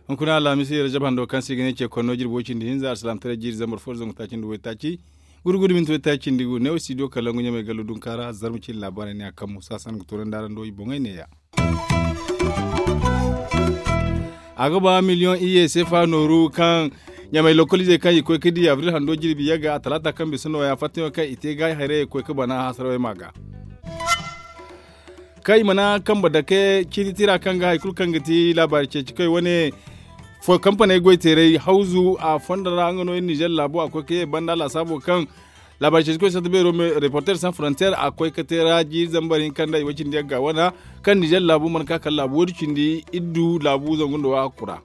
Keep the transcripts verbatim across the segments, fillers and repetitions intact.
Hunkuna alhamisi rajab hando kaŋ se i ga ne ce konno jirbi way cindi hinza alsilaamataray jiiri zambar fo da zangu taaci nda waytaaci, gudu gudu minti waytaaci nda gu neewo studio kalangu ɲamay gallo dunka ra zarma cine laabaarey ne a kammu saasan ga toonandi araŋ do i boŋey neeya. A ga ba miliyoŋ iyye seefa nooru kaŋ ɲamay lokoliizey kaŋ i koy ga di abril hando jirbi yagga a talaata kaŋ bisa nooya fattayaŋo kaŋ i te ga haray i koy ga bana hasarawey ma ga. Kaŋ i mana kambe dake ciiti tira kaŋ ga hari kulu kaŋ ga ti laabaari ceeci koy wane kampaney goy teeray hawzu a fondo ra nga no iri nizer laabo a koy ga ye banda laasaabo kaŋ laabaari ceeci koy sata beero reporter sans frontier a koy ga te ra jiiri zambar hinka nda i way cindi yagga wana kaŋ nizer laabu mana ka kala laabu woodi cindi iri du laabu zangu nda waahakku ra.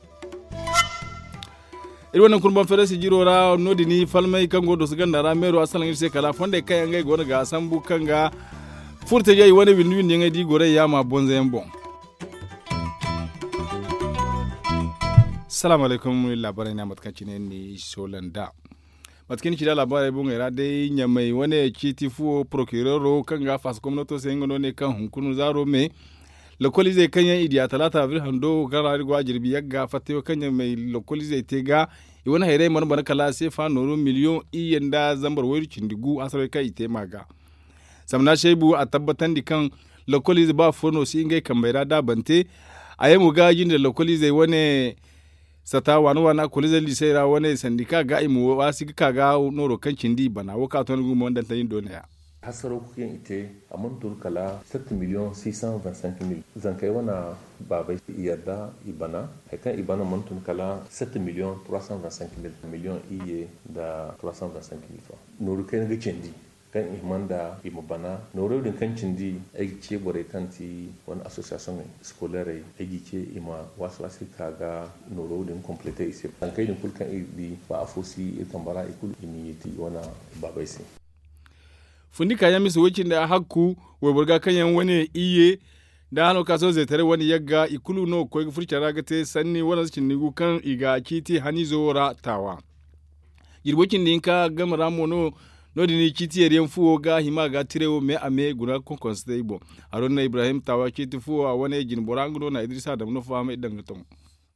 Iri wane kurban feerasi jiro ra no- din falmay kaŋ go ga doso ganda ra meero a salaŋ iri se kala fondey kaŋ yaŋ ngey go no ga sambu kaŋ ga furtajey wane windi windi yaŋey da i gorey yaama bonzo yaŋ boŋ. Salaamu alaykum iri laabaarey ne a mate kaŋ cine ni soola nd'a. Mate kaŋ ni ci nd'a laabaarey boŋey ra day ɲamay wane ciiti fuwo porokireero kaŋ ga a faasa gomnato se nga no ne kaŋ hunkuna zaaro me lokoliizey kaŋ yaŋ i diya talaata abril hando kaŋ ra iri go a jirbi yagga fattayo kaŋ ɲamay lokoliizey te ga i wane hayrey mana bana kala seefa nooru miliyoŋ iyye nda zambar wayru cindi gu hasarey kaŋ i te ma ga. Samna shaybu a tabbatandi kaŋ lokoliize ba fo no si ngey kambey ra da a bante a ye mo ga jinde lokoliizey wane sata waana waana koliize liisey ra wane sandika ga i ma waasi ga ka ga nooro kaŋ cindi i bana wo kaŋ a to ni ga mo ndantandi ni do neeya. Hasaro kaŋ i te a mana tun kala sept million six cent vingt cinq mille zankey wane baabey i yadda i bana hari kaŋ i bana mana tun kala sept million trois cent vingt cinq mille million iyye nda trois cent vingt cinq mille francs nooru kayna ga candi kaŋ i hima nda i ma bana noorey din kaŋ cindi ay ga ce borey kaŋ ti wane association scolairey ay ga i ce i ma waasi waasi ga ka ga nooro din complete i se zankey din kulu kaŋ iri di ba afo si iri kamba ra i kulu i ma yeeti i wane baabey se. Fundi kaayaŋ mise way cindi a hakku wayboro ga kaŋ yaŋ wane iyye nda hano ka sohõ zeetaray wane yagga i kulu no ga koy ga furo care ra ga te sanni waranza cindi gu kaŋ i ga ciiti haniizo wo ra taawa. Jirbo cindi hinka game ra mo no no- din i ciiti yeeri yaŋ fuwo ga hima ga tiray wo me a me guna ga konkonse te i boŋ. Haruna ibrahim taawa ciiti fuwo a wane jine bora nga no na idrisa dama no fahamay i daŋ ga ton.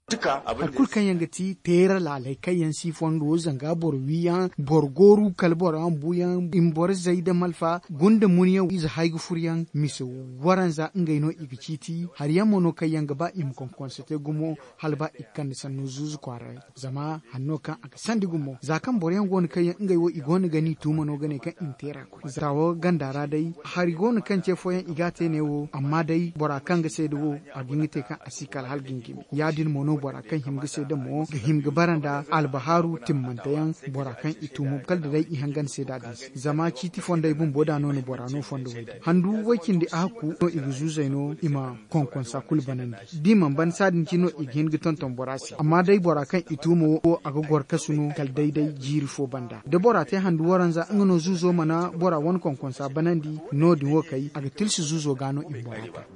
Hari kulu kaŋ yaŋ ga ti teera laaley kaŋ yaŋ si fondo zanga boro wiiyaŋ boro gooru kala boro yaŋ buuyaŋ i ma boro zay da malfa gunda munyaŋ ize hay ga furyaŋ mise waranza ngey no i ga ciiti hari yaŋ mo no kaŋ yaŋ ga ba i ma konkonse te gumo hala ba i ga kande sanno zuuzu kwaara. Zama hanno kaŋ a ga sandi gumo za kaŋ boro yaŋ go no kaŋ yaŋ ngey wo i go no ga ni tuuma no ga ne kaŋ i ma teera koy za wo ganda ra day hari go no kaŋ ce fooyaŋ i ga a te ne wo amma day bora kaŋ ga seeda wo a ga hin ga te kaŋ a si kala hala ga hin ga hin ya- din mo no bora kaŋ hima ga seeda mo ga hima ga bara nda albahaaru timmante yaŋ bora kaŋ i tuuma kala da day i hangan seeda din se zama ciiti fondey bumbo da no na bora no fondo way day handu way cindi a hakku no i ga zuuzey no i ma konkonsa kulu banandi da i mana ban saadin cine no i ga hin ga tonton bora se amma day bora kaŋ i tuuma wo a ga goro kasu no kala day day jiiri fo banda da bora te handu waranza nga no zuuzo mana bora wane konkonsa banandi no- din wo kay a ga tilsi zuuzo ga no i ma bora ta.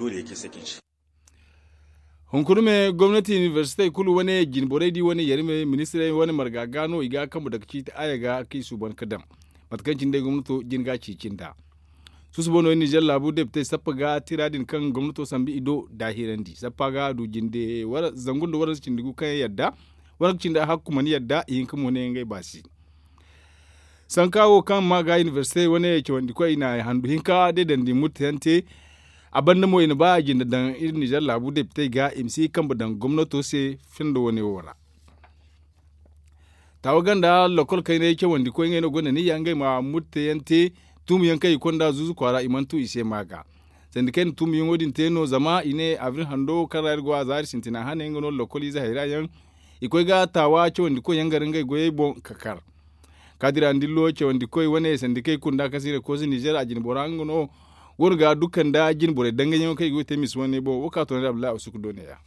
Hunkuna me gomnati inibersitey kulu wane jine borey da i wane yari me ministirey wane marga ga no i ga a kambe dake ciiti aya ga kaŋ i suuban ga daŋ mate kaŋ cine day gomnato jin ga a ceeci nd'a. Susubo no iri nizer laabu depitey sappa ga tira din kaŋ gomnato sambu i do daahirandi sappa ga a du jinde zangu nda waranza cindi gu kaŋ yaŋ yadda waranka cindi a hakku mana yadda i hinka mo ne ngey baasi. Sanka wo kaŋ ma ga inibersite wane cawandi koy i na handu hinka day dandi murtayaŋ te. A banda mo i na ba a jinde daŋ iri nizer laabu depitey ga i ma si kambe daŋ gomnato se findo wane wo ra. Taawa ganda lokol kaynay cawandi koy ngey no gonda niyya ngey ma murtayaŋ te tuumu yaŋ kaŋ i konda zuuzu kwaara i mana tu i se ma ga. Sandi kaŋ i na tuumu yaŋo din te no zama i ne abril hando kaŋ ra iri go a zaari sintina hane nga no lokol ize hayra yaŋ i koy ga taawa cawandi koy yaŋ gar ngey goyey boŋ ka kar. Kaadira ndillo cawandi koy wane sandi kaŋ i kunda kaŋ se i na koosi nizer a jine bora nga no go no ga dukka nda jine borey dangayaŋo kaŋ i go ga te misi wane boŋ wo ka toonandi abdullahi asuku do ne ya.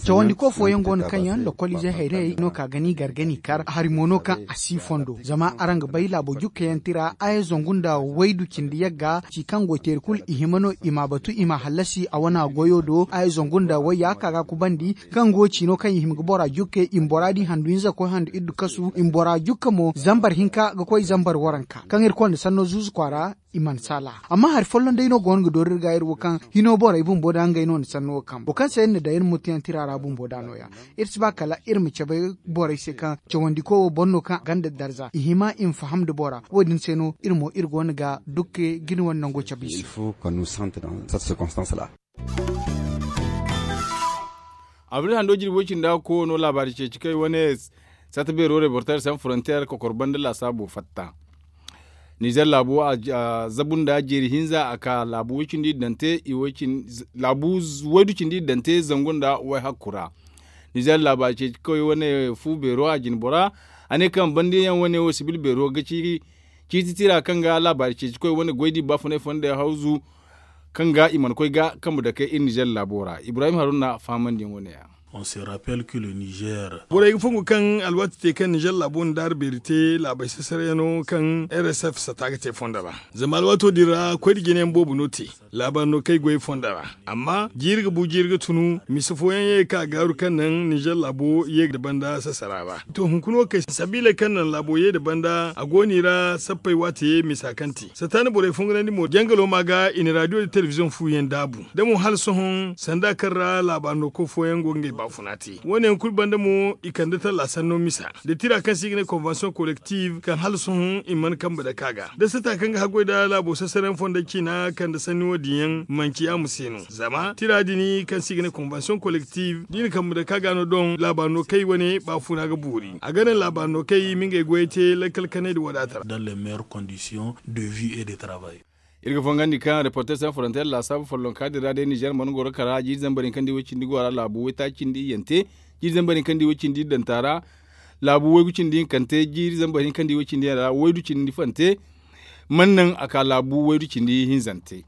Cawandi ko fooyaŋ go no kaŋ yaŋ lokoliizey hayrayey no ka ga ni gar ga ni kar hari mo no kaŋ a si fondo zama araŋ ga bay laabo jukka yaŋ tira aya zangu nda waydu cindi yagga ci kaŋ go teeri kulu i hima no i ma a batu i ma a hallasi a wana goyo do aya zangu nda wayya ka ga a kubandi kaŋ go ciino kaŋ i hima ga bora jukke i ma bora di handu hinza ga koy handu iddu kasu i ma bora jukka mo zambar hinka ga koy zambar waranka kaŋ iri konda sanno zuuzu kwaara i mana saala. Amma hari folloŋ day no go no ga dooru iri ga iri wo kaŋ hino borey bumbo da ngey no na sanno wo kambe wo kaŋ se iri na daŋ iri ma mutuyaŋ tira ra bumbo da no- ya. Iri si ba kala iri ma cabe borey se kaŋ cawandi koy wo boro no kaŋ a gonda darza i hima i ma faham nda bora wo- din se no iri mo iri go no ga dukke ga ni wane nango cabe i se. Abril hando jirbi way cindi a ga koy wano laabaari ceeci kaŋ i wane satta beero reporter san frontier kokor banda laasaabo fatta. Nizer laabo a zabu nda jeeri hinza a ka laabu way cindi iddante laabu waydu cindi iddante zangu nda way hakku ra. Nizer laabaari ceeci kaŋ way wane fu beero a jine bora a ne kaŋ banda yaŋ wane wo sibil beero ga ci ciiti tira kaŋ ga laabaari ceeci koy wane goy di baafunay fonda hawzu kaŋ ga i mana koy ga kambe dake iri nizer laabo ra ibrahim haruna fahamandiyaŋo ne- ya. Borey ga fongu kaŋ alwaati te kaŋ nizer laabo na daari beeri te laabey sasarayano kaŋ rsf sata ga te fondo ra. Zama alwaato din ra koy da jinayaŋ boobo no te laabaari no kaŋ ay goy fondo ra. Amma jiiri ga bu jiiri ga tunu misa fooyaŋ ye ga ka gaaru kaŋ naŋ nizer laabo ye ga banda sasara ra. To hunkuna wo kay sabiiley kaŋ naŋ laabo ye nda banda a go no i ra sappey waate misa kaŋ te sataani borey fongunandi mo jangalo ma ga i na raadiyo nda telebiziyoŋ fu yaŋ daabu da mo hala sohõ sanda kaŋ ra laabaari no koy fooyaŋ go ga ngey baafuna te wo- ne yaŋ kulu banda mo i kande talla sanno misa da tira kaŋ se i ga ne konvensiyoŋ kolektiv kaŋ hala sohõ i mana kambe dake a ga da sata kaŋ ga haggoy nda laabo sasarayaŋ fonda ciina kande sanni wo- din yaŋ manci yaamo se no zama tira din kaŋ se i ga ne konvensiyoŋ kolektiv da i na kambe dake a ga no doŋ laabaari no kaŋ i wane baafuna ga boori a ga naŋ laabaari no kaŋ i ma ngey goyey te lakkal kanay nda wadaata ra. Iri ga fangandi kaŋ reporter san frontier laasaabu follonka din ra day nizer mana goro kara jiiri zambar hinka nda i way cindi go a ra laabu waytaaci cindi iyyante jiiri zambar hinka nda i way cindi iddanta ra laabu waygu cindi hinkante jiiri zambar hinka nda i way cindi iyyanta ra waydu cindi fante mana naŋ a ka laabu waydu cindi hinzante.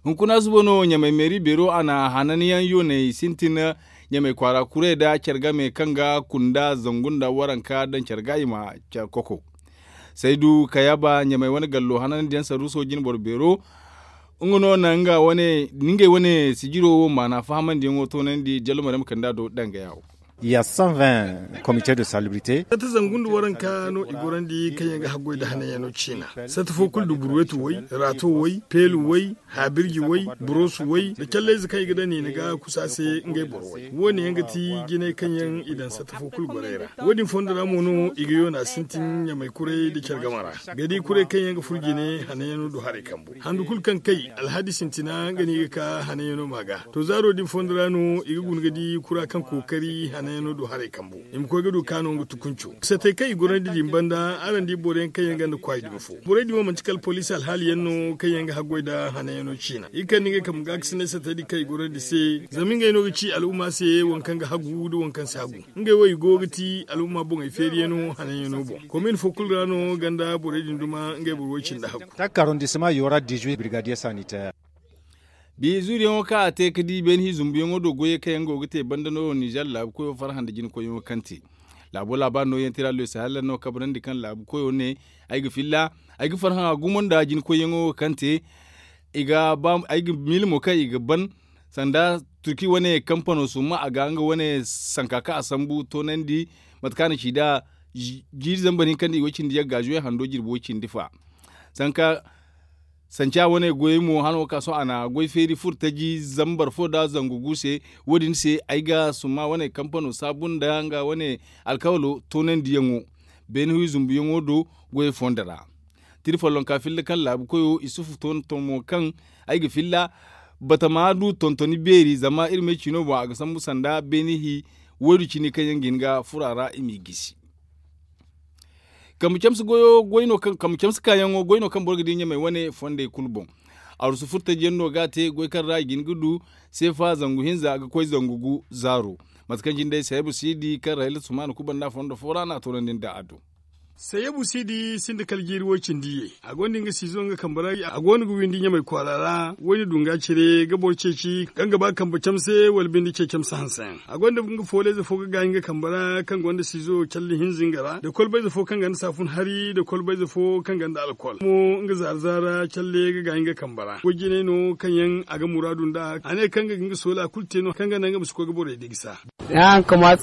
Hunkuna suba no ɲamay meeri beero a na hananyaŋ yooney sintin ɲamay kwaara kuray nda care game kaŋ ga kunda zangu nda waranka daŋ care ga i ma care koko. Saydu kayaba ɲamay wane gallo hanandiyaŋ saruuso jinboro beero nga no na ngey wane sijiro wo maana fahamandiyaŋo toonandi jallo marema kanda do dangaya wo. Ya cent vingt comité de salubrité. Satta zangu nda waranka no i gorandi kaŋ yaŋ ga haggoy nda hananyaŋo ciina. Satta fo kulu nda burwetu way raato way peelu way haabirji way buroosu way nda callayze kaŋ i ga daŋ niina ga kusa se ngey boro way wo- ne yaŋ ga ti jinay kaŋ yaŋ i daŋ satta fo kulu gorey ra. Wo- din fondo ra mo no i ga yoona sintin ɲamay kuray nda care game ra ga di kuray kaŋ yaŋ ga furo jine hananyaŋo du haray kambu handu kulu kaŋ kay alhadi sintina nga no i ga ka hananyaŋo ma ga. To zaaro din fondo ra no i ga guna ga di kura kaŋ kookari hananyaŋo du haray kambu i ma koy ga du kaano nga tukunco satey kaŋ i gorandi din banda araŋ di boro yaŋ kaŋ yaŋ ganda kwaay dumi fo borey din mo manti kala poliisi alhaali yaŋ no kaŋ yaŋ ga haggoy nda hananyaŋo ciina i kande ngey kambe ga ga sinay satey din kaŋ i gorandi se. Zama ngey no ga ci al'umma se waŋ kaŋ ga hagu nda waŋ kaŋ si hagu ngey wo i go ga ti al'umma boŋey feeriyaŋo hananyaŋo boŋ komin fo kulu ra no ganda borey din duma ngey boro way cindi hagu. Takka arrondissement yora dix-huit brigadier sanitaire. Bi zuuriyaŋo kaŋ a te ga di beene hi zumbuyaŋo do goyey kaŋ yaŋ go ga te banda no nizer laabu koyo farhã nda jina koyyaŋo kaŋ te. Laabo laabaari no yaŋ tira loysa hala no kabrandi kaŋ laabu koyo ne ay ga filla ay ga farhã gumo nda jina koyyaŋo kaŋ te. Ay ga miila mo kaŋ i ga ban sanda turki wane kampano summa a ga nga wane sanka kaŋ a sambu toonandi mate kaŋ a na ci nd'a jiiri zambar hinka nda i way cindi yagga zuwe hando jirbi way cindi fa. Sanka sanca wane goyey mo hano ka sohõ a na goy feeri furo taji zambar fo nda zangu gu se. Wo- din se ay ga summa wane kampano saabu nda nga wane alkawalo toonandiyaŋo beene wi zumbuyaŋo do goyey fondo ra. Tira follonka filla kaŋ laabu koyo isufu tonton mo kaŋ ay ga filla batama du tontoni beeri zama iri ma ay ciino boŋ a ga sambu sanda beene hi waydu cindi kaŋ yaŋ ga hin ga furo a ra i m'i gisi. Kambe camse kaayaŋo goy no kaŋ boro ga di ɲamey wane fondey kulu boŋ. Arusu furtajiyaŋ no ga a te goy kaŋ ra i ga hin ga du seefa zangu hinza ga koy zangu gu zaaro. Mate kaŋ jinde sayabu siidi kaŋ ra hila sumaana kubanda fondo fo ra no a toonandi nda a do. Sayabu siidi sinda kala jiiri woy cindi ye. A gonda nga siizo nga kambe ra. A go no ga windi ɲamay kwaara ra. Woyne dunga cire ga boro ceeci kaŋ ga ba kambe camse wala bindi ce camse hanse yaŋ. A gonda nga fooleyze fo ga gaayi nga kambe ra kaŋ gonda siizo calli hinza nga ra nda kolbayze fo kaŋ gonda saafun hari nda kolbayze fo kaŋ gonda alkol mo nga zaara zaara calle ga gaayi nga kambe ra goy jinay no kaŋ yaŋ a ga muraadu nd'a a ne kaŋ ga ga nga soola kulu te no kaŋ ga naŋ nga ma si koy ga borey di gisa. Ay kaŋ ma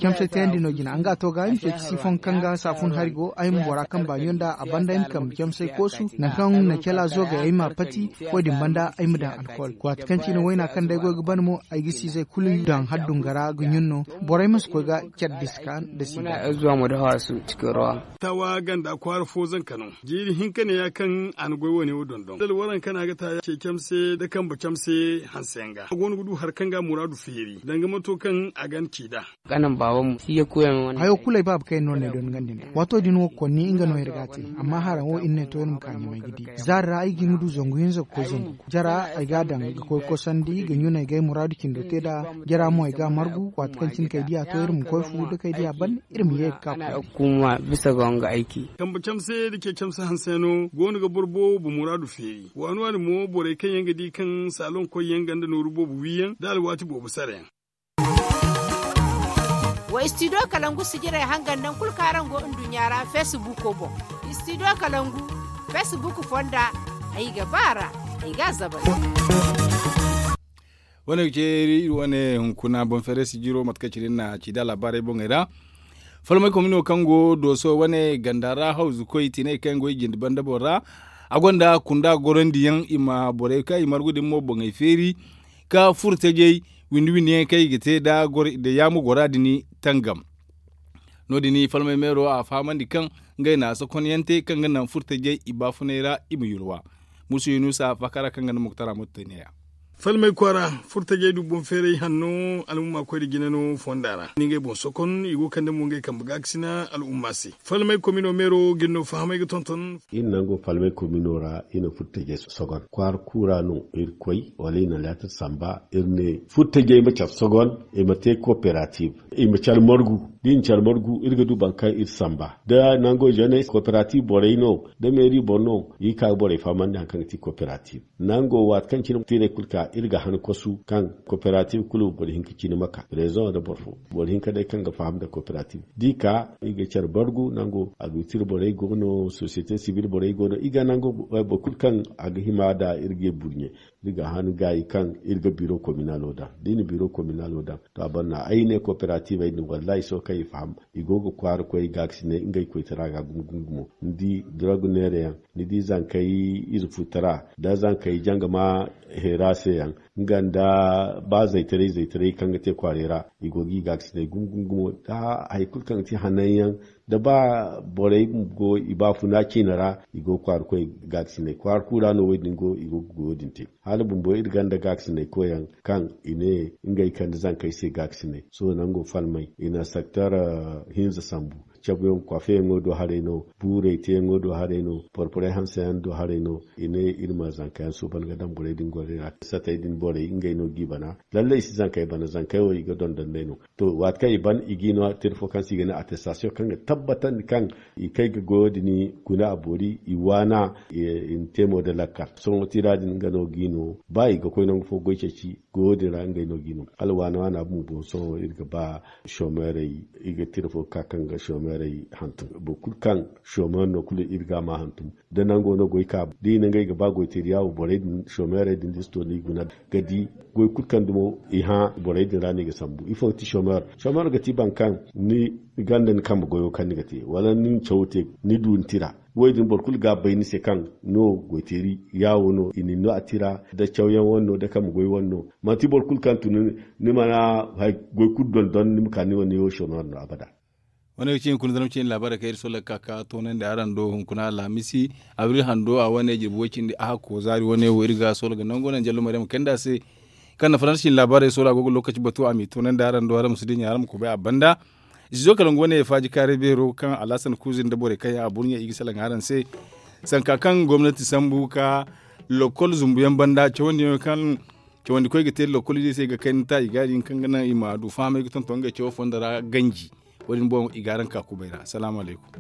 camsay tayandi no jina nga a to ga ay ma ceeci siifon kaŋ ga saafun hari go ay ma bora kaŋ baaɲo nd'a a banda ay ma kaŋ ma camsay koosu nangu kaŋ na cala zoogay ay ma pati. Wo- din banda ay ma daŋ alkol waati kaŋ cine wayna kaŋ day goy ga ban mo ay ga siizey kulu daŋ haddunga ra ga ɲun no. Borey ma si koy ga care diska nda siida. Tawa ganda kwaara fo zanka no. Jiiri hinka ne ya kaŋ a na goy wane wo dondon dala waranka no a ga ta ce camse nda kambe camse hanse yaŋ ga a go no ga du hari kaŋ ga a muraadu feeri danga mato kaŋ a ga a ci nd'a. Hayo kulu ay baaba kaŋ yaŋ no ne dondon gandi nd'a waato din wo ga konni nga no iri ga a te. Amma haraŋ wo iri ne to iri ma ka ɲamay ga di zaari ra ay ga hin ga du zangu hinza ga koy zangu jara ay ga a daŋ ga koy kosandi ga ɲunay ga ay muraadu cindo te nd'a. Jara mo ay ga a margu waati kaŋ cine kay diya to iri ma koy fu nda kay diya ban iri ma ye ga ka koy. Kambe camse nda ce camse hanse no go no ga boro boobo muraadu feeri waani waani mo borey kaŋ yaŋ ga di kaŋ saalon koy yaŋ ganda nooru boobo wi yaŋ nda alwaati boobo sara yaŋ. Wa istidiyo kalangu sijirey hangan nangu kulu kaŋ araŋ go nduɲɲa ra feesibuuko boŋ. Istidiyo kalangu feesibuuk fonda ay ga ba a ra. Ay ga a zabari. Wane ga ce iri wane hunkuna boŋ feeray sijiro mate kaŋ cine ni na ci da laabaarey boŋey ra. Falmay komino kaŋ go dooso wane ganda ra hawzu koy tinay kaŋ yaŋ go i jindi banda boŋ ra. A gonda kunda gorandiyaŋ i ma borey kaŋ i margu din mo boŋey feeri ka furo tajey windi windi yaŋ kaŋ i ga te nda yaamu gora din tangam. No- din falmay meero a fahamandi kaŋ ngey na a sokonyaŋ te kaŋ ga naŋ furo tajey i baafunay ra i ma yulwa. Musu yunusa faakara kaŋ ga naŋ muktara ma tun ne ya. Falmay kwaara furo tajey du boŋ feeray hanno al'umma koy nda jine no fonda ra ni ngey boŋ sokon i go ga kande mo ngey kambe gaakasina al'umma se. Falmay komino meero ga iri no fahamay ga tonton. Iri nango falmay komino ra iri na furo tajey sogon kwaara kuura no iri koy wala iri na leetar samba iri ne furo tajey ma care sogon i ma te kooperativ. I ma care margu da i na care margu iri ga du boro kaŋ iri samba da nango jenes kooperativ borey no da meeri boro no i ga ka ga borey fahamandi hari kaŋ ga ti kooperativ. Nango waati kaŋ cine tiirey kulu ka iri ga han kosu kaŋ kooperativ kulu boro hinka cine ma ka rezoŋo nda boro fo boro hinka day kaŋ ga faham nda kooperativ da i ka i ga care bargu nango agrikultir borey go no sosiyete sibil borey go no i ga nango boro kulu kaŋ a ga hima nda iri ga i burɲe iri ga han gaayi kaŋ iri ga biro kominalo daŋ da i na biro kominalo daŋ to a banna ay ne kooperativey din wallahi sohõ kaŋ i faham i go ga kwaara koy gaakasinay ngey koytara ga gumo gumo gumo ni di dorog neera yaŋ ni di zankey ize futara nda zankey jangama heera se yaŋ nga nda ba zaytaray zaytaray kaŋ ga te kwaaray ra i go ga i gaakasinay gumo gumo gumo da hari kulu kaŋ ga te hanan yaŋ da ba borey go i baafuna ciine ra i go ga kwaara koy gaakasinay kwaara kulu ra no wo- din go i go ga goyo din te hala bumbo iri gonda gaakasinay koy yaŋ kaŋ i ne ngey kande zankey se gaakasinay sohõ nango falmay i na sekter hinza sambu cabuyaŋ kwaafeyaŋo do haray no buurey teeyaŋo do haray no porporey hanseyaŋ do haray no i ne iri ma zankayaŋ suuban ga daŋ borey din gorey ra satey din borey ngey no g'i bana lallay i si zankey bana zankey wo i ga dondon day no to waati kaŋ i ban i g'i no tira fo kaŋ se i ga ne attestation kaŋ ga tabbatandi kaŋ i kay ga goyo din guna a boori i waana i na te mo nda lakkal sohõ tira din nga no g'i no ba i ga koy nangu fo goy ceeci goyo din ra ngey no g'i no hala waana waana bumbo sohõ iri ga ba chômeurey i ga tira fo ga ka kaŋ ga chômeurey hantum boro kulu kaŋ chômeur no kulu iri ga a ma hantum da nango no goy ka da i na ngey ga ba goyteeri yaawo borey din chômeurey din da i si to no i guna ga di goy kulu kaŋ dumo i hã borey din ra no i ga sambu ifo ga ti chômeur chômeur ga ti boro kaŋ ni ganda ni kambe goyo kaŋ ni ga te wala ni na cawo te ni du ni tira wo- din boro kulu ga a bay ni se kaŋ no goyteeri yaawo no i na ni no a tira da cawyaŋ wane no da kambe goy wane no manti boro kulu kaŋ tun ni mana goy kulu dondon ni ma ka ni wane wo chômeur no abada. Wane ga ci hunkuna zarma ciine laabaarey kaŋ iri soola ga ka ka toonandi araŋ do hunkuna alhamisi abril hando a wane jirbi way cindi a hakko zaari wane wo iri ga soola ga nango naŋ jallo maryam kayndi a se kaŋ na faransa ciine laabaarey soola a go ga lookaci batu a m'i toonandi araŋ do araŋ ma si dinya araŋ ma kubay a banda. Izo kala nga wane faaji kaaray beero kaŋ alhasan kuuzi nda borey kaŋ yaŋ a burɲe i ga salaŋ araŋ se sanka kaŋ gomnati sambu ka lokol zumbuyaŋ banda cawandiyaŋo kaŋ cawandikoy ga te lokol izey se ga kayna ta i ga din kaŋ ga naŋ i ma du fahamay ga tonton ngey cawo fondo ra ganji. wo- din boŋ i ga araŋ ka kubay ra. Salaamu alaykum.